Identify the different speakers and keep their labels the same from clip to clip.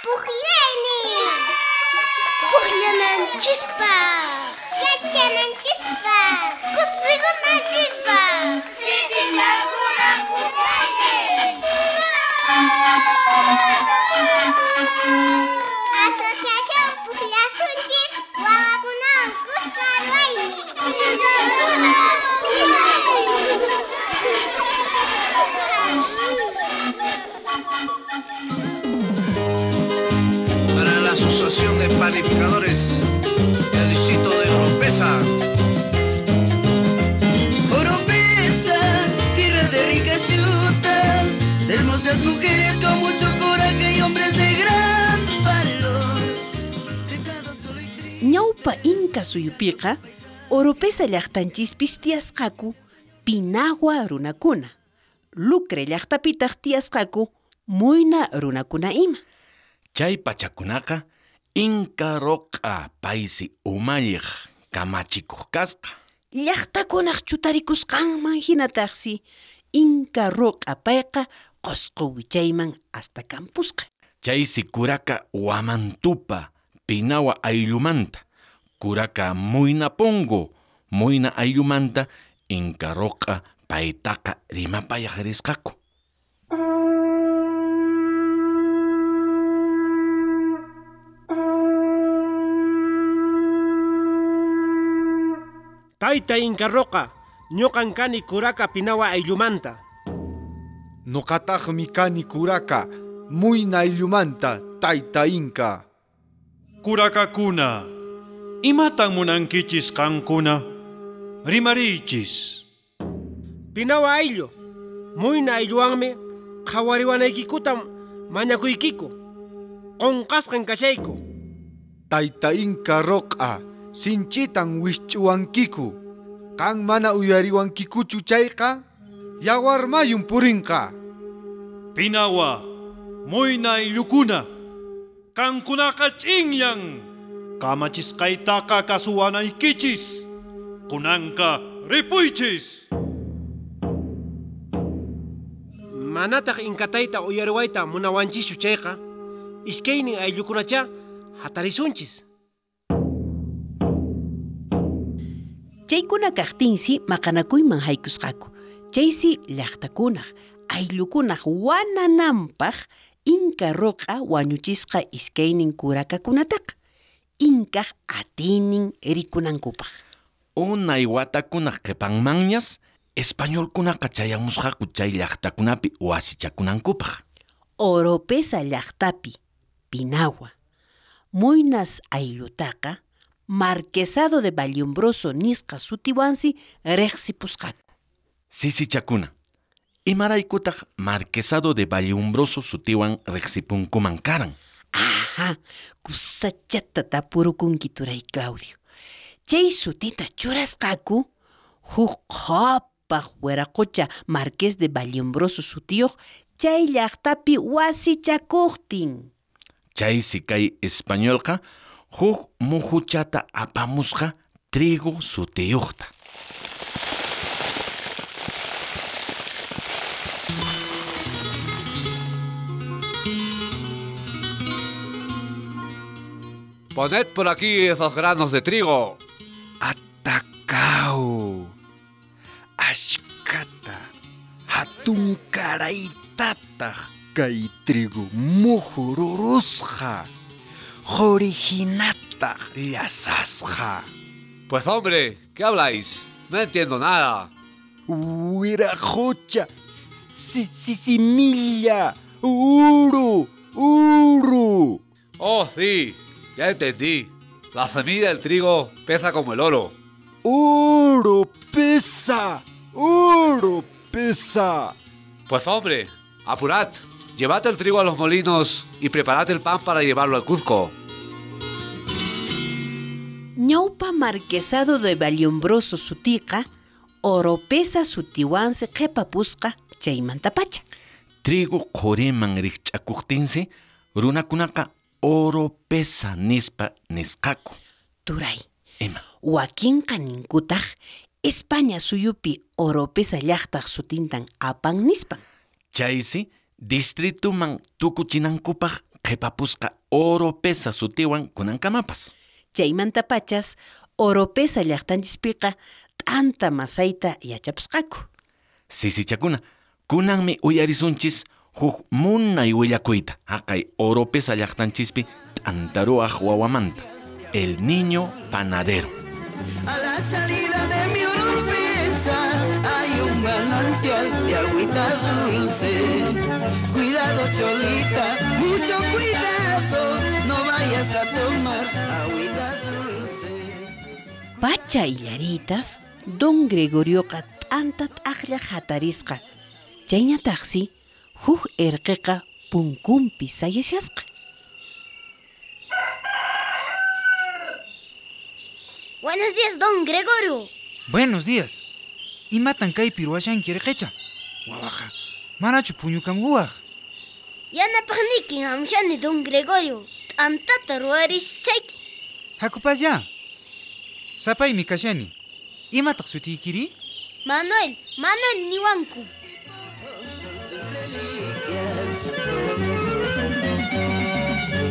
Speaker 1: Pukllaynin. Pukllananchispaq. Yachananchispaq. Kusikunanchispaq. Sisichakuna pukllaynin. Asociación Pukllasunchis wawakunawan kuska ruwaynin.
Speaker 2: Para la Asociación de Panificadores del Distrito de Oropesa.
Speaker 3: Oropesa, tierra de ricas yutas, de hermosas mujeres con mucho coraje y hombres de gran valor. Sentados solo y tristes.
Speaker 4: Ñawpa Inka suyupiqa Oropesa llaqtanchispis tiyasqaku Pinahua runakuna. Lucre llaqtapitaq tiyasqaku Muyna runakuna ima.
Speaker 5: Chay pachakunaqa Inka Roq'a paysi umalliq kamachikuq kasqa.
Speaker 4: Llaqtakunaq chutarikusqanman hinataqsi Inka Roq'a payqa Qosqo wichayman hasta kampusqa.
Speaker 5: Chaysi kuraka Huamantupa Pinawa ayllumanta, kuraka Muynapongo Muyna ayllumanta Inka Roq'a paytaqa rimapayaq risqaku.
Speaker 6: Tayta Inka Roqa, ñuqan kani kuraka Pinawa ayllumanta.
Speaker 7: Nuqataqmi kani kuraka Muyna ayllumanta, tayta Inka.
Speaker 8: Kurakakuna, imatan munankichis qankuna? Rimariychis.
Speaker 6: Pinawa ayllu, Muyna aylluwanmi qhawariwanaykikutam mañakuykiku. Qunqasqan kashayku.
Speaker 7: Tayta Inka Roq'a, sinchitan wisch'uwankiku. Qan mana uyariwankikuchu chayqa, yawarmayun purinqa.
Speaker 8: Pinawa, Muyna ayllukuna, qankunaqa ch'inllan. Kamachisqaytaqa kasuwanaykichis. Kunanqa ripuychis.
Speaker 6: Manataq Inkatayta uyariwayta munawanchischu chayqa, iskaynin ayllukunacha hatarisunchis.
Speaker 4: Chaykuna kaqtinsi maqanakuyman haykusqaku. Chaysi llaqtakunaq, ayllukunaq wanananpaq Inka Roq'a wañuchisqa iskaynin kurakakunataqa. Inkaq atiynin rikunankupaq.
Speaker 5: Unay watakunaq qhipanmanñas españolkunaqa chayamusqaku chay llaqtakunapi wasichakunankupaq.
Speaker 4: Oropesa llaqtapi Pinawa, Muynas ayllutaqa Marquesado de Valliombroso nisqa sutiwansi riqsipusqaku.
Speaker 5: Sisichakuna, imaraykutaq Marquesado de Valliombroso sutiwan riqsipunkuman karan?
Speaker 4: Ajá, kusachata tapurukunki turay Claudio. Chay sutita churasqaku huk qhapaq wiraqocha Marqués de Valliombroso sutiyuq chay llaqtapi wasichakuqtin.
Speaker 5: Chaysi kay españolqa huk muhuchata apamusqa trigo sutiyuqta.
Speaker 2: Poned por aquí esos granos de trigo.
Speaker 9: Atacao. Ashkata. Hatunkaraytataq kay trigo muhururusqa. Qurihinataq llasasqa.
Speaker 2: Pues hombre, ¿qué habláis? No entiendo nada.
Speaker 9: Wiraqocha, similla, uru, uru.
Speaker 2: Oh, sí, ya entendí. La semilla del trigo pesa como el oro.
Speaker 9: Oro pesa, oro pesa.
Speaker 2: Pues hombre, apurad. Llevad el trigo a los molinos y preparad el pan para llevarlo al Cuzco.
Speaker 4: Ñawpa Marquesado de Valliombroso sutiqa, Oropesa sutiwansi qhipapusqa chaymantapacha.
Speaker 5: Trigo qhuriman rikch'akuqtinsi, runakunaqa Oropesa nispa nisqaku.
Speaker 4: Turay,
Speaker 5: Ima.
Speaker 4: Wakinqa ninkutaq España suyupi Oropesa llaqtaq sutintan apan nispan.
Speaker 5: Chaysi distrituman tukuchinankupaq qhipapusqa Oropesa sutiwan kunankamapas.
Speaker 4: Chaymantapachas Oropesa llaqtanchispiqa t'anta masayta yachapusqaku.
Speaker 5: Sisichakuna, kunanmi uyarisunchis huk munay willakuyta haqay Oropesa llaqtanchispi t'antaruwaq wawamanta, el niño panadero.
Speaker 3: A la salida de mi Oropesa hay un manantial de agüita dulce. Cuidado, cholita, mucho cuidado, no vayas a tomar agüita dulce.
Speaker 4: Pacha illaritas, don Gregorioqa t'anta t'aqlla hatarisqa. Chayñataqsi, huk erqeqa punkunpi sayashasqa.
Speaker 1: Buenos días, don Gregorio.
Speaker 10: Buenos días. Imatan kaypi ruwashanki erqecha? Wawaqa, manachu puñukamuwaq?
Speaker 1: Yanapaqniykin hamushani, don Gregorio. T'antata ruwarishayki.
Speaker 10: Hakupasya. Sapaymi kashani. Imataq sutiykiri?
Speaker 1: Manuel, Manuel niwanku.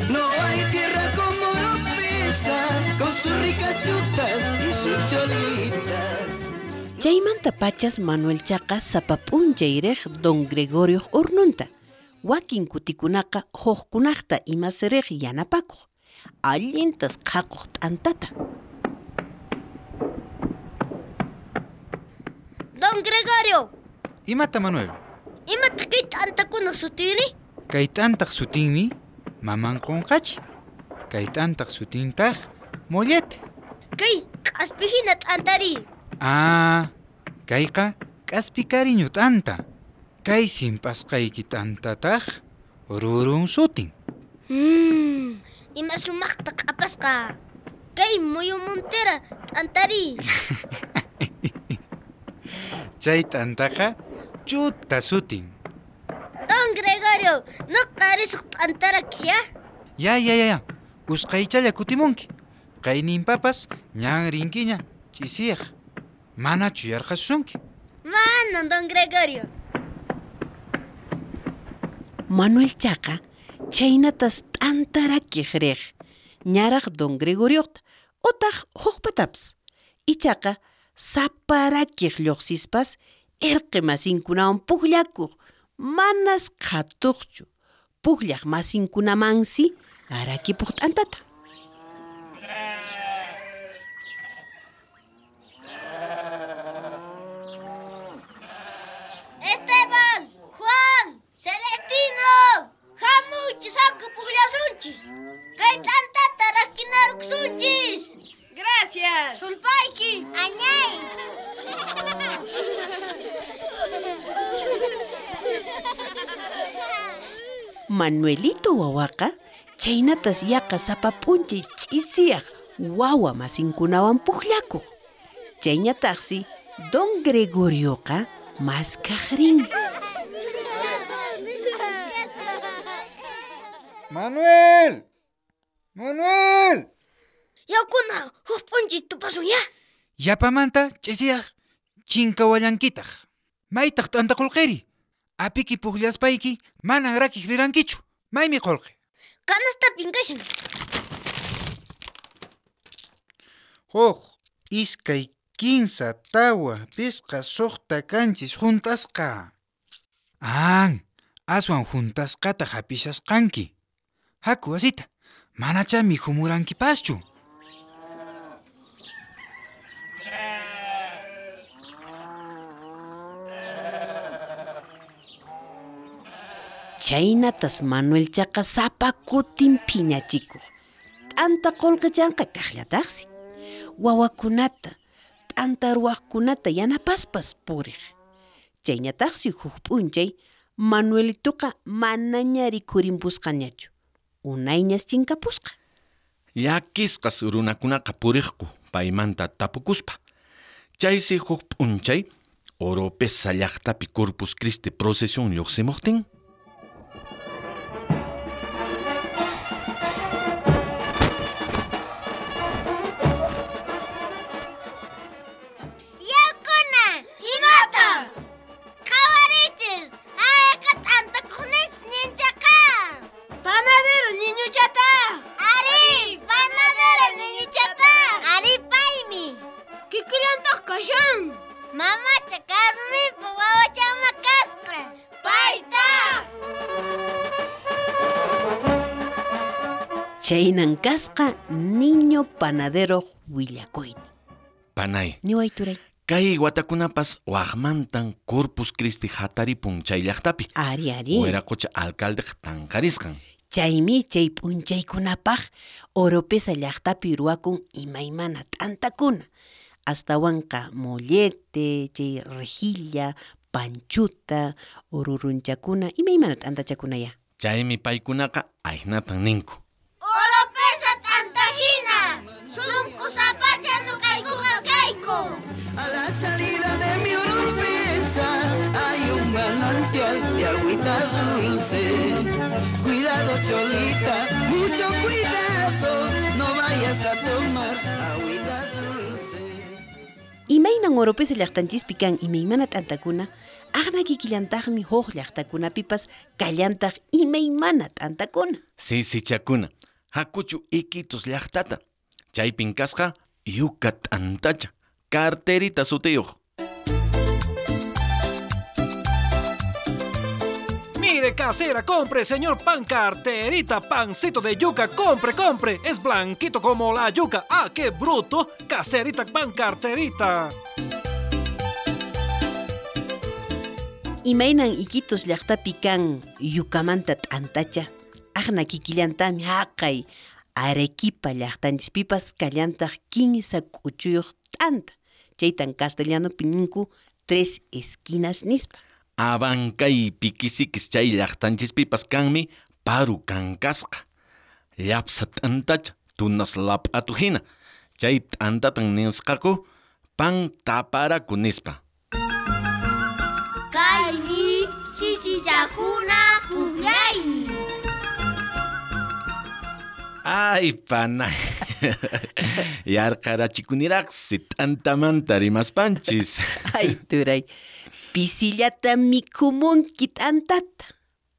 Speaker 3: No hay tierra como Oropesa, con sus ricas chutas y sus cholitas.
Speaker 4: Chaymanta pachas Manuelchaqa sapa p'unchay riq don Gregorioq hornunta. Wakin kutikunaqa hukkunaqta imas riq yanapakuq. Allintas qhaquq t'antata.
Speaker 1: Don Gregorio.
Speaker 10: Imata, Manuel?
Speaker 1: Imataq kay t'antakuna sutiri?
Speaker 10: Kay t'antaq sutinmi maman qunqachi. Kay t'antaq sutintaq mollete.
Speaker 1: Kay k'aspi hina t'antari.
Speaker 10: Ah, kayqa k'aspi kariñu t'anta. Kay simp'asqayki t'antataq rurun sutin.
Speaker 1: Ima sumaqta q'apasqa. Kay muyumuntera t'antari.
Speaker 10: Chay t'antaqa chuta sutin.
Speaker 1: Don Gregorio, noqa risaq t'antaraki, ya?
Speaker 10: Ya, ya, ya, ya. Usqhaychalla kutimunki. Qayninpapas ñan rinkiña ch'isiyaq. Manachu yarqasusunki?
Speaker 1: Manan, don Gregorio.
Speaker 4: Manuelchaqa chhaynatas t'antarakiq riq. Ñaraq don Gregorioqta utaq hukpatapas. Ichaqa saparakiq lluqsispas irqi masinkunawan pukllakuq. Manas qhatuqchu. Pukllaq masinkunamansi arakipuq t'antata.
Speaker 1: Esteban, Juan, Celestino, hamuchis haku pukllasunchis. Kay t'antata rakinarukusunchis.
Speaker 11: Gracias.
Speaker 1: Sulpayki. Añay.
Speaker 4: Manuelito wawaqa chhaynatas yaqa sapa p'unchay ch'isiyaq wawa masinkunawan pukllakuq. Chayñataqsi don Gregorioqa maskaq rin.
Speaker 10: Manuel! Manuel!
Speaker 1: Yakuna, huk p'unchay tupasun ya.
Speaker 10: Yapamanta ch'isiyaq chinkawallankitaq. Maytaq t'anta qullqiri? Apiki pukllaspayki manan rakiq rirankichu. Maymi qullqi?
Speaker 1: Kanastapin kashan.
Speaker 10: Huk, iskay, kinsa, tawa, pisqa, suqta, kanchis, juntasqa. An, aswan juntasqata hapishasqanki. Haku wasita, manachá mikhumurankipaschu.
Speaker 4: Chhaynatas Manuelchaqa sapa kutin phiñachikuq. T'anta qullqichanqa kaqllataqsi. Wawakunata, t'anta ruwaqkunata yanapaspas puriq. Chayñataqsi huk p'unchay Manuelituqa manaña rikhurinpusqañachu. Unayñas chinkapusqa.
Speaker 5: Llakisqas runakunaqa puriqku paymanta tapukuspa. Chaysi huk p'unchay Oropesa llaqtapi Corpus Christi procesión lluqsimuqtin.
Speaker 1: Yakuna, imata? Qhawarichis, ayqa t'antakuqninchis ñinchaqa.
Speaker 11: Panadero
Speaker 4: Chaynan kasqa niño panadero willakuynin.
Speaker 5: Panay.
Speaker 4: Niway turay.
Speaker 5: Kay watakunapas waqmantan Corpus Christi hataripun chay llaqtapi.
Speaker 4: Ari, ari.
Speaker 5: Wiraqocha alcaldeq tanqarisqan.
Speaker 4: Chaymi chay p'unchaykunapaq Oropesa llaqtapi ruwakun imaymana t'antakuna. Astawanqa mollete, chay rejilla, panchuta, ururunchakuna, imaymana t'antachakunaya.
Speaker 5: Chaymi paykunaqa ahinatan ninku.
Speaker 1: Oropesa t'antajina, sunqu sapacha nuqaykuqa kayku.
Speaker 3: A la salida de mi Oropesa hay un manantial de agüita dulce. Cuidado, cholita, mucho cuidado, no vayas a tomar agüita dulce.
Speaker 4: Imaynan Oropesa llaqtanchispi kan imaymana t'antakuna, aqna kikillantaqmi huk llaqtakunapipas kallantaq imaymana t'antakuna.
Speaker 5: Sisichakuna, hakuchu Iquitos llaqtata. Chaypin kasqa yuka t'antacha, carterita sutiyuq.
Speaker 8: Mire, casera, compre, señor pan carterita, pancito de yuca, compre, compre. Es blanquito como la yuca. ¡Ah, qué bruto! Caserita, pan carterita.
Speaker 4: Imaynan Iquitos llaqtapi kan yukamanta t'antacha, aqna kikillantami haqay Arequipa llaqtanchispipas kallantaq 15 k'uchuyuq t'anta. Chaytan castellanopi ninku tres esquinas nispa.
Speaker 5: Abancay piquisikis chay llaqtanchispipas kanmi paru kankasqa. Llapsa t'antacha tunas lap'atu hina. Chay t'antatan nisqaku pan taparaku nispa.
Speaker 1: Kaymi sisichakuna pukllaymi.
Speaker 5: Ay, panay. Yarqarachikuniraqsi t'antamanta rimaspanchis.
Speaker 4: Ay, turay. Pisillata mikhumunki t'antata.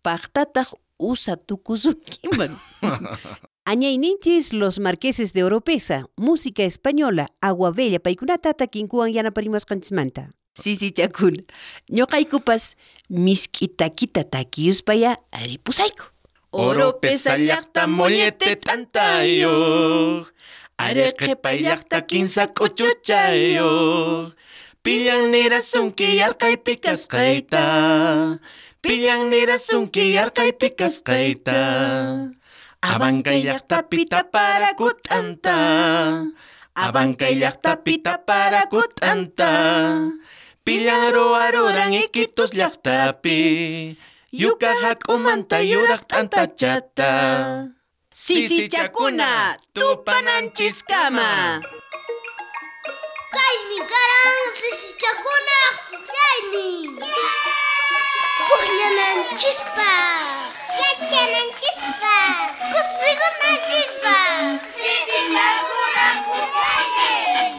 Speaker 4: Paqtataq usa tukusunkiman. Añayninchis los marqueses de Oropesa, música española, agua bella, paykunata takinkuwan yanaparimasqanchismanta. Sisichakuna, ñuqaykupas misk'i takita takiyuspaya ripusayku.
Speaker 5: Oropesa llaqta mollete t'antayuq, Arequipa llaqta kinsa k'uchuchayuq, Pillan nirasunki yarqaypi kasqayta, Pillan nirasunki yarqaypi kasqayta, Abancay llaqtapi taparaku t'anta, Abancay llaqtapi taparaku t'anta, Pillan ruwaruran Iquitos llaqtapi, Yuka hak'umanta yuraq t'antachata.
Speaker 4: Sisichakuna, tupananchiskama.
Speaker 1: Kaymi karan sisichakuna pukllaynin. Pukllananchispaq, yachananchispaq, kusikunanchispaq. Sisichakuna pukllaynin.